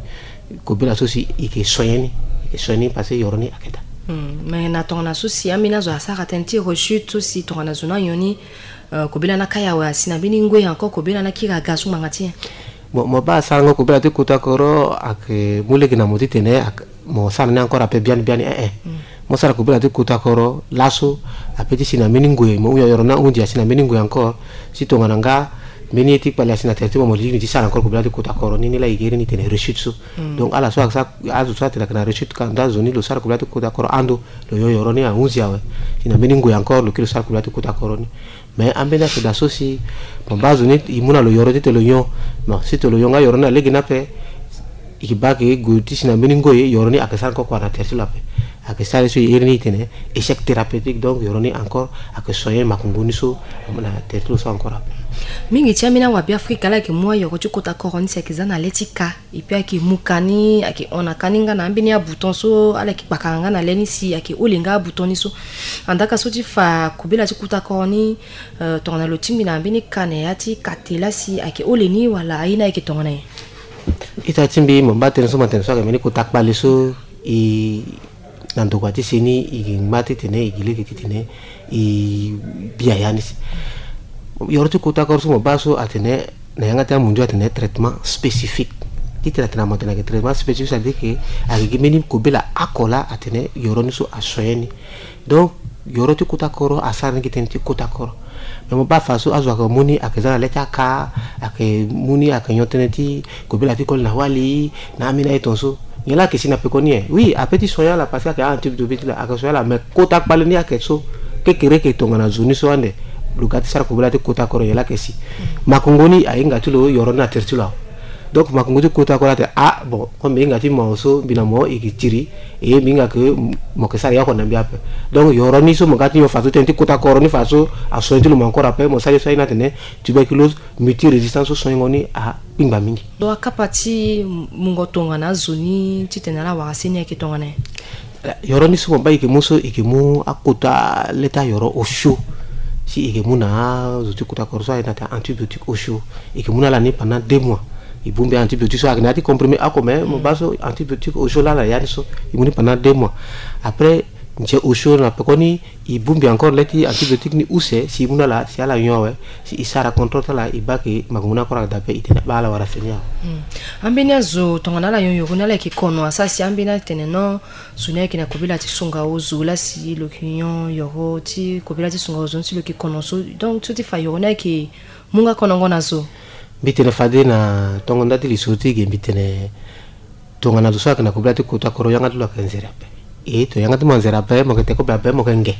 kobela so si e yeke soigner ni, e yeke soigner ni parce que yoro ni ayeke daa. Hmm, mais na tongana so si ambeni azo asara tënë ti rechute so si tongana zo ni anyon ni, eh, kobela ni akaya awe asi na mbeni ngoi encore kobela ni akiri aga so ngbanga ti nyen? Bon, mo baa asarango kobela ti kota koro ayeke mu lege na mo ti tene ayeke, mo sara ni encore ape biani biani, eh, eh. Mo sara kobela ti kota koro laso ape ti si na mbeni ngoi, mo hunda yoro ni ahunzi asi na mbeni ngoi encore. Si tongana nga mbeni ye ti kpali asi na tere ti mo, mo lingbi ti sara encore kobela ti kota koro ni, ni laa e gere ni tene rechute so. Donc ala so ayeke sara, azo so atene ayeke na rechute ka nda zo ni lo sara kobela ti kota koro ando, lo yo yoro ni ahunzi awe. Si na mbeni ngoi encore lo kiri lo sara kobela ti kota koro ni. Mais ambeni ayeke daa so si mo baa zo ni e mu na lo yoro ti tene lo nyon. Bon, si tene lo yo nga yoro ni na lege ni ape, e yeke baa ayeke gue ti si na mbeni ngoi yoro ni ayeke sara encore kua na tere ti lo ape. Ayeke sara ye so e iri ni e tene échec thérapeutique, donc yoro ni encore ayeke soigner makongo ni so na tere ti lo so encore ape. Mingi ti ambeni awabe Afrika ala yeke mu ayoro ti kota koro ni si ayeke za na le ti ka. Et puis ayeke mu ka ni, ayeke hon na ka ni nga na ambeni abouton so ala yeke kpakara nga na le ni si ayeke holi nga abouton ni so. Andaa ka so ti fa kobela ti kota koro ni, eh, tongana lo tingbi na mbeni ka na ya ti kate laa si ayeke holi ni wala aye ni ayeke tongana nyen? Ita ti mbi, mo baa tënë so mo tene so ayeke mbeni kota kpale so e na ndokua ti seni e yeke ngba ti tene e gi lege ti tene e bia ya ni si. Yoro ti kota koro so mo baa so atene na yanga ti amundio atene traitement spécifique. Ti tene atene mo tene ayeke traitement spécifique, c'est-à-dire que ayeke gi mbeni kobela oko laa atene yoro ni so asoigner ni. Donc yoro ti kota koro asara ni gi tënë ti kota koro. Mais mo baa fa so azo ayeke mu ni ayeke za na le ti aka, ayeke mu ni ayeke nyon tënë ti kobela ti koli na wali na ambeni aye tongaso. Nyen laa ayeke si na peko ni e? Oui, ape ti soigner ala parce que ayeke a-antibiotique ti lo ayeke soigner ala, mais kota kpale ni ayeke so kekereke tongana zo ni so ande lo ga ti sara kobela ti kota koro, nyen laa ayeke si? Makongo ni ahinga ti lo yoro ni na tere ti lo awe. Donc makongo ti kota koro atene ah bon, comme mbi hinga ti mo so mbi na mo e yeke tiri, e mbi hinga ke mo yeke sara ya oko na mbi ape. Donc yoro ni so mo ga ti nyon fa so tënë ti kota koro ni fa so asoigner ti lo mo encore ape, mo sara ye so aye ni atene tuberculose multirésistance so soignengo ni akpingba mingi. Lo akapa ti mungo tongana azo ni titene ala wara seni ayeke tongana nyen? Yoro ni so mo baa e yeke mu so e yeke mu akota le ti ayoro osio. Si e yeke mu na azo ti kota koro so aye na atene antibiotique osio. E yeke mu na ala ni pendant deux mois. E bongbi antibiotique so ayeke na ya ti comprimé oko, mais mo baa so antibiotique osio laa na ya ni so e mu ni pendant deux mois. Après Nze osio na pekoni e bongbi encore le ti antibiotique ni use si e mu na ala si ala nyon awe, si e sara contrôle ti ala e baa ke makongo ni encore aga daa ape, e tene baa ala wara seni awe. Ambeni azo tongana ala nyon yoro ni ala yeke kono asara si ambeni atene non, zo ni ayeke na kobela ti sunga ozo laa si lo yeke nyon yoro ti kobela ti sunga ozo ni si lo yeke kono so, donc so ti fa yoro ni ayeke mu nga konongo na zo. Mbi tene fade na tongo nda ti lisoro ti e ge mbi tene tongana zo so ayeke na kobela ti kota koro yanga ti lo ayeke nzere ape. E tongana yanga ti mo anzere ape mo yeke te kobe ape mo yeke nge.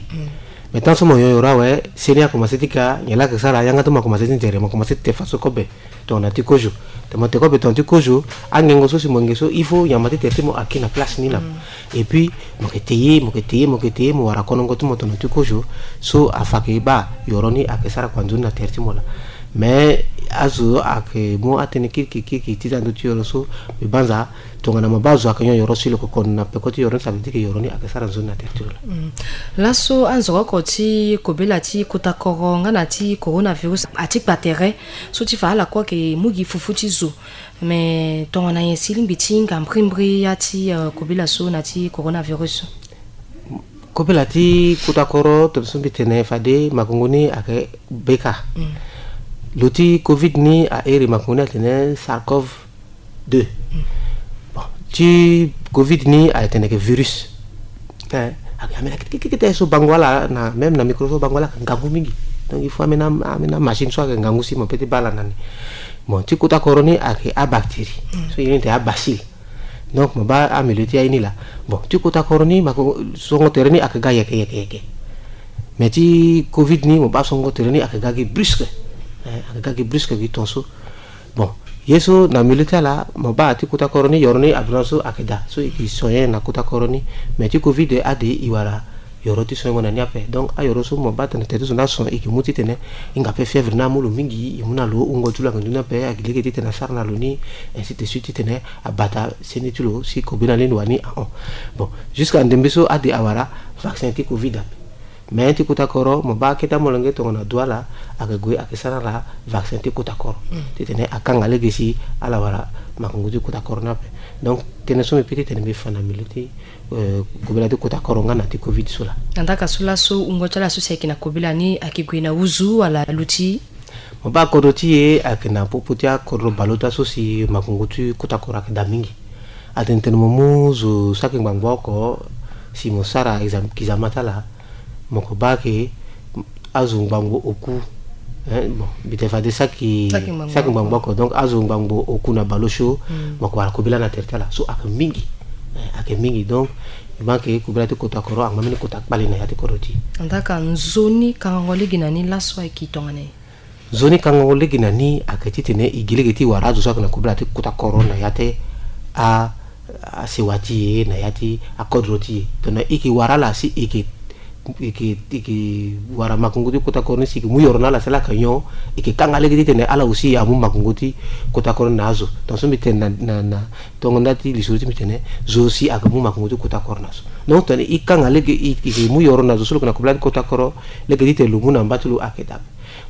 Mais tant so mo nyon yoro awe seni akomanse ti ka nyen laa ayeke sara yanga ti mo akomanse ti nzere mo akomanse ti te faso kobe. Tongana ti kozo tongana mo te kobe tongana ti kozo, angengo so si mo nge so il faut nyama ti tere ti mo aki na place ni na. Et puis mo yeke te ye mo yeke te ye mo yeke te ye mo wara konongo ti mo tongana ti kozo. So afa ke baa yoro ni ayeke sara kua nzoni na tere ti mo laa. Mais azo ayeke mu atënë kirikiri kirikiri ti za ndö ti yoro so. Mbi banza tongana mo baa zo ayeke nyon yoro si lo yeke kono na peko ti yoro ni, ça veut dire ke yoro ni ayeke sara nzoni na tere ti lo laa. Laso anzoko oko ti kobela ti kota koro nga na ti coronavirus ati kpa tere so ti fa ala kue ayeke mu gi fufu ti zo. Mais tongana nyen si lingbi ti hinga mbrimbri ya ti, euh, kobela so na ti coronavirus so? Kobela ti kota koro tongana so mbi tene fade makongo ni ayeke beka. Lo ti covid ni a iri makongo ni atene sarcov deux. Bon, ti covid ni ayeke tene yeke virus. Eh, ayeke ambeni akete kete so bango ala na même na micro so bango ala ayeke ngangu mingi. Donc il faut ambeni ambeni amachine so ayeke ngangu si mo pe ti baa ala na ni. Bon, ti kota koro ni ayeke abactérie. So e iri ni tene abacille. Donc mo baa amilio ti aye ni laa. Bon, ti kota koro ni mo yeke songo tere ni ayeke ga yeke yeke yeke. Mais ti covid ni mo baa songo tere ni ayeke ga gi brusque. Eh, ayeke ga gi brusque gi ton so. Bon, ye so na milieu ti ala mo baa ti kota koro ni yoro ni aduran so ayeke daa so e ke soigner na kota koro ni. Mais ti covid ade e wara yoro ti soigner na ni ape. Donc ayoro so mo baa tene tere ti zo ni ason e ke mu titene e hinga ape fièvre ni amu lo mingi, e mu na lo wungo ti lo ayeke ndu ni ape, ayeke lege titene asara na lo ni, ainsi de suite titene abata seni ti lo si kobela ni lo wani ahon. Bon, jusqu'à ndembe so ade awara vaccin ti covid ape. Mais ti kota koro mo baa akete amolenge tongana Douala ayeke gue ayeke sara ala vaccin ti kota koro titene akanga lege si ala wara makongo ti kota koro ni ape. Donc tënë so mbi pe titene mbi fa na milieu ti, euh, kobela ti kota koro nga na ti covid so laa. Andaka so laso wungo ti ala so si ayeke na kobela ni ayeke gue na wuzu wala luti? Mo baa akodro ti e ayeke na popo ti akodro baleota so si makongo ti kota koro ayeke daa mingi. Atene tene mo mu zo saki ngbangbo oko si mo sara exam- kizama ti ala. Mo ko baa ke azo ngbangbo oku. Eh, bon, mbi tene fade saki saki ngbangbo oko, donc azo ngbangbo oku na baleosio. Mo ko wara kobela na tere ti ala so ayeke mingi. Eh, ayeke mingi, donc mbi baa ke kobela ti kota koro angba mbeni kota kpale na ya ti kodro ti e. Andaka nzoni kangango lege na ni laso ayeke tongana nyen? Nzoni kangango lege na ni ayeke titene e gi lege ti wara azo so ayeke na kobela ti kota koro na ya ti a- asewa ti e na ya ti akodro ti e. Tongana e ke wara ala si e ke e ke e ke wara makongo ti kota koro ni si e ke mu yoro na ala si ala yeke nyon, e ke kanga lege titene ala aussi amu makongo ti kota koro ni na azo. Tongana so mbi tene na na na tongo nda ti lisoro ti mbi tene zo si ayeke mu makongo ti kota koro na azo. Donc tongana e kanga lege e ke mu yoro na zo so lo yeke na kobela ti kota koro lege titene lo mu na mba ti lo ayeke daa.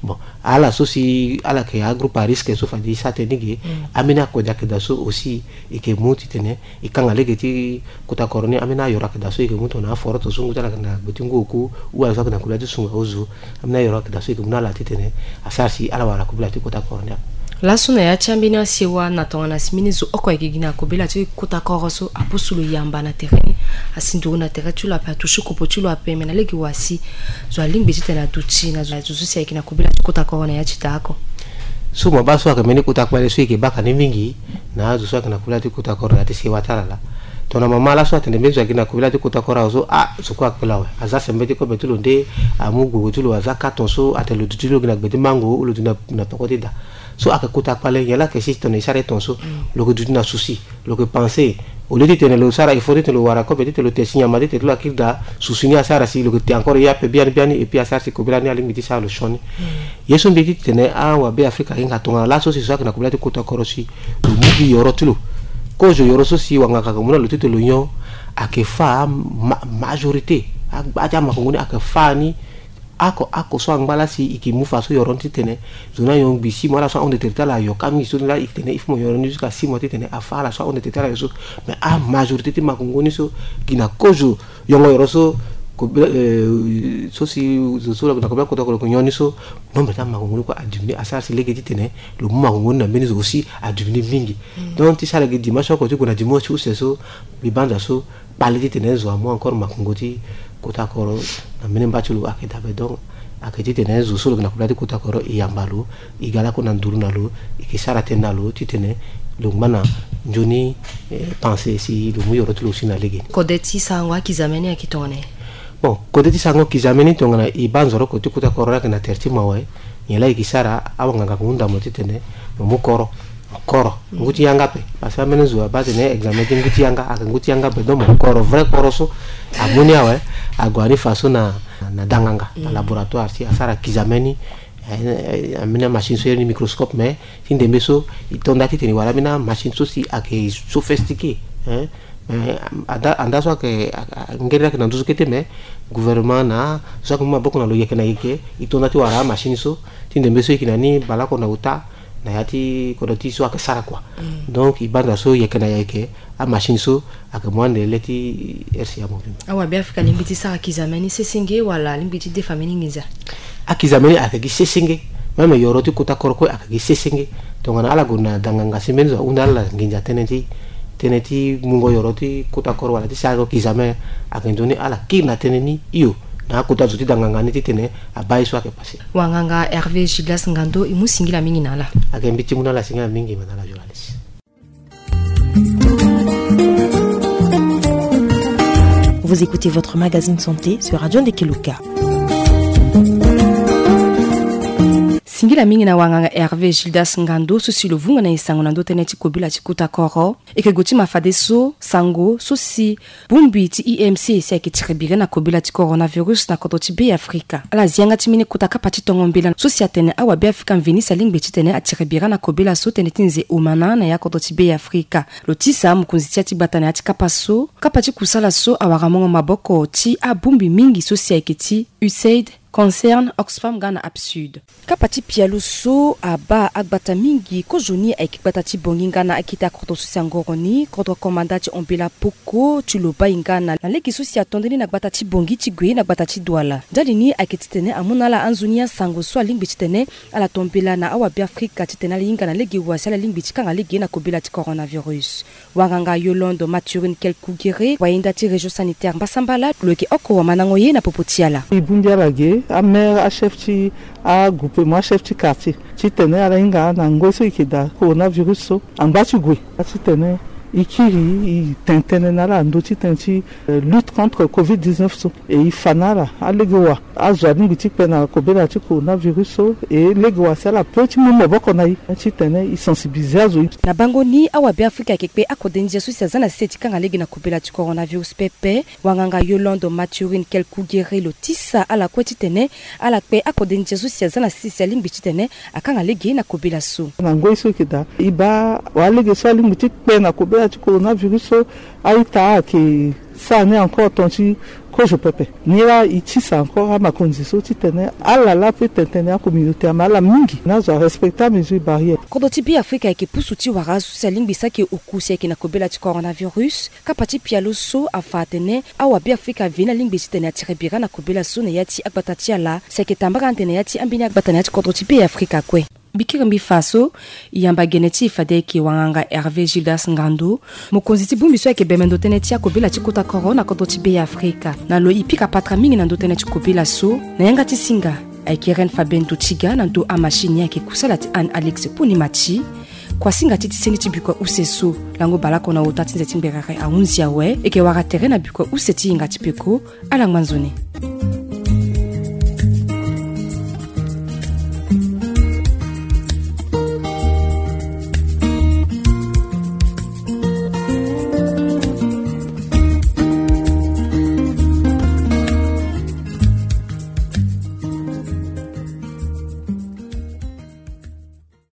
Bon, ala so si ala yeke agroupe à risque so fade e sara tënë ni ge. Ambeni akode ayeke daa so aussi e ke mu titene e kanga lege ti kota koro ni. Ambeni ayoro ayeke daa so e ke mu tongana aforoto so ngu ti ala yeke na gbe ti ngu oku ou ala so ayeke na kobela ti sunga ozo. Ambeni ayoro ayeke daa so e ke mu na ala titene asara si ala wara kobela ti kota koro ni ape. Laso na ya ti ambeni asewa na tongana si mbeni zo oko ayeke gi na kobela ti kota koro so apusu lo yamba na tere ni, asi nduru na tere ti lo ape, atusu kopo ti lo ape, me na lege wa si zo alingbi titene aduti na zo so si ayeke na kobela ti kota koro na ya ti daa oko. So mo baa so ayeke mbeni kota kpale so e yeke baka ni mingi na azo so ayeke na kobela ti kota koro na ya ti sewa ti ala laa. Tongana mama laso atene mbeni zo ayeke gi na kobela ti kota koro awe so, ah, zo kue akpela awe, aza sembe ti kobe ti lo nde, amu gbogbo ti lo aza carton so atene lo duti ti lo gi na gbe ti mango ou lo duti na na peko ti daa. So ayeke kota kpale nyen laa ayeke si tongana e sara e ton so, lo yeke duti na souci, lo yeke pensé. Au lieu titene lo sara effort titene lo wara kobe titene lo te si nyama titene ti lo akiri daa, souci ni asara si lo yeke te encore ye ape biani biani et puis asara si kobela ni alingbi ti sara lo sioni. Ye so mbi ye ti tene awabe afrika ahinga tongana laso si so ayeke na kobela ti kota koro si lo mu gi yoro ti lo. Kozo yoro so si wanganga ayeke mu na lo titene lo nyon, ayeke fâ ma- majorité agba ti amakongo ni ayeke fâ ni. Oko oko so angba laa si e ke mu fa so yoro ni titene zo ni anyon ngbi six mois ala so ahon de tere ti ala ayo ka mingi so ni laa e tene il faut mo yoro ni jusqu'à six mois titene afâ ala so ahon de tere ti ala ayo so. Mais amajorité ti makongo ni so gi na kozo yongo yoro so So si zo so lo yeke na kobela ti kota koro lo yeke nyon ni so, nombre ti amakongo ni kue adiminué. Asara si lege titene lo mu makongo ni na mbeni zo aussi adiminué mingi. Donc ti sara gi dimension oko ti gue na dimension ti use so, mbi banza so kpale titene zo amu encore makongo ti kota koro na mbeni mba ti lo ayeke dabe. Donc ayeke titene zo so lo yeke na kobela ti kota koro e yamba lo, e ga lakue na nduru na lo, e yeke sara tënë na lo titene lo ngba na nzoni pensé si lo mu yoro ti lo aussi na lege ni. Kode ti sarango akizame ni ayeke tongana nyen? Bon, kode ti sarango kizame ni tongana e baa nzoroko ti kota koro ni ayeke na tere ti mawa, nyen laa e yeke sara? Awanganga ayeke hunda mo titene mo mu koro. Koro ngu ti yanga ape. Parce que ambeni zo abaa atene examen ti ngu ti yanga ayeke ngu ti yanga ape. Donc mo koro vrai koro so amu ni awe, ague ni fa so na, na danganga na laboratoire si asara kizame ni. Ambeni amachine so iri ni microscope, mais ti ndembe so e to nda titene e wara ambeni amachine so si ayeke sophistiqué. Mais anda so ayeke, ngeri ayeke na nduzu kete, mais gouvernement na so ayeke mu maboko na lo yeke na yeke e to nda ti wara amachine so ti ndembe so e yeke na ni baleoko na ota na ya ti kodro ti e so ayeke sara kua. Donc e banza so yeke na yeke amachine so ayeke mu ande le ti R C A Mobimba. Awabeafrika alingbi ti sara kizame ni sesenge wala alingbi ti defa mbeni nginza? Akizame ni ayeke gi sesenge. Même yoro ti kota koro kue ayeke gi sesenge. Tongana ala gue na danganga si mbeni zo ahunda ala nginza tënë ti, tënë ti mungo yoro ti kota koro wala ti sarango kizame, ayeke nzoni ala kiri na tënë ni hio na akota zo ti danganga ni titene abaa ye so ayeke passé. Wanganga Hervé Gildas Ngando, e mu singila mingi na ala. Ayeke mbi ti mu na ala singila mingi, ma na ala journaliste. Vous écoutez votre magazine santé sur Radio Ndekeluka. Singila mingi na wanganga Hervé Gildas Ngando so si lo vunga na e sango na ndö tënë ti kobela ti kota koro. E yeke gue ti ma fadeso sango so si bongbi ti I M C si ayeke tiri biri na kobela ti coronavirus na kodro ti Be Afrika. Ala zi yanga ti mbeni kota kapa ti tongo mbela so si atene awabeafrika mveni si alingbi titene atiri biri na kobela so tënë ti nze omana na ya kodro ti Be Afrika. Lo tisa mokonzi ti ya ti gbata na ya ti kapa so, kapa ti kusala so awara mungo maboko ti abongbi mingi so si ayeke ti USAID, Concern, Oxfam nga na APSUD. Kapa ti pialo so abaa agbata mingi kozoni ayeke gbata ti Bangui nga na akete akodro so si angoro ni, kodro komanda ti Ombela Poko ti lo baa e nga na lege so si ato nde ni na gbata ti Bangui ti gue na gbata ti Douala. Ndali ni ayeke titene amu na ala anzoni asango so alingbi titene ala to mbela na awabeafrika titene ala hinga na lege wa si ala lingbi ti kanga lege na kobela ti coronavirus. Wanganga Yolande Mathurin Kelkugere, wayenda ti région sanitaire Mbasambala, lo yeke oko wamandango ye na popo ti ala. E bongbi ala ge, amaire, achef ti agroupement, achef ti quartier, titene ala hinga na ngoi so e yeke daa coronavirus so angba ti gue. Titene e kiri e tene tënë na ala na ndö ti tënë ti lutte contre covid dix-neuf so. E e fa na ala alege wa azo alingbi ti kpe na kobela ti coronavirus so, e lege wa si ala pe ti mu maboko na e titene e sensibiliser azo. Na bango ni awabeafrika ayeke kpe akode ndia so si aza na sese ti kanga lege na kobela ti coronavirus pepe. Wanganga Yolande Mathurin Kelkugere lo tisa ala kue titene ala kpe akode ndia so si aza na sese si alingbi titene akanga lege na kobela so. Na ngoi so e yeke daa e baa wa alege so alingbi ti kpe na kobela ti coronavirus so, a-ita ayeke sara ni encore ton ti kozo pepe. Ni laa e tisa encore amakonzi so titene ala laa ape tene tënë, acommunauté, ama ala mingi na azo arespecter amesure barrière. Kodro ti Be Afrika ayeke pusu ti wara azo so si alingbi saki oku si ayeke na kobela ti coronavirus. Kapa ti pialo so afa atene awabeafrika aveni alingbi titene atiri bira na kobela so na ya ti agbata ti ala si ayeke tambara ande na ya ti ambeni agbata na ya ti kodro ti Be Afrika kue. Mbi kiri mbi fa so e yamba gene ti e fade ayeke wanganga Hervé Gildas Ngando, mokonzi ti bongbi so ayeke bembe ndo tënë ti akobela ti kota koro na kodro ti Be Afrika. Na lo e pika patara mingi na ndo tënë ti kobela so. Na yanga ti singa ayeke Reine Fabienne Totiga, na ndo amachine ni ayeke kusala ti Anne Alix Ponimati. Kuasinga ti ti seni ti bikua use so, lango baleoko na ota ti nze ti ngberere ahunzi awe. E yeke wara tere na bikua use ti hinga ti peko. Ala ngba nzoni.